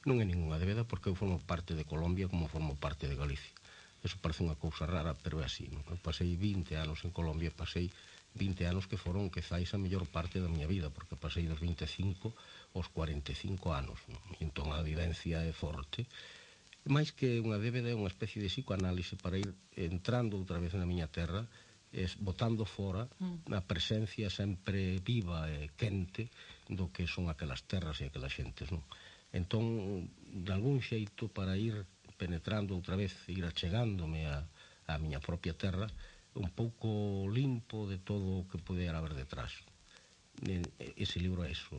Non é ninguna débeda porque eu formo parte de Colombia como formo parte de Galicia. Eso parece unha cousa rara, pero é así, non? Eu pasei 20 anos en Colombia, pasei 20 anos que foron quizás a mellor parte da miña vida, porque pasei dos 25 aos 45 anos, non? E entón a vivencia é forte. Mais que unha débeda é unha especie de psicoanálise para ir entrando outra vez na miña terra, botando fora a presencia sempre viva e quente do que son aquelas terras e aquelas xentes, non? Entón, de algún xeito, para ir penetrando outra vez, ir achegándome a miña propia terra, un pouco limpo de todo o que pudera haber detrás. Ese libro é iso.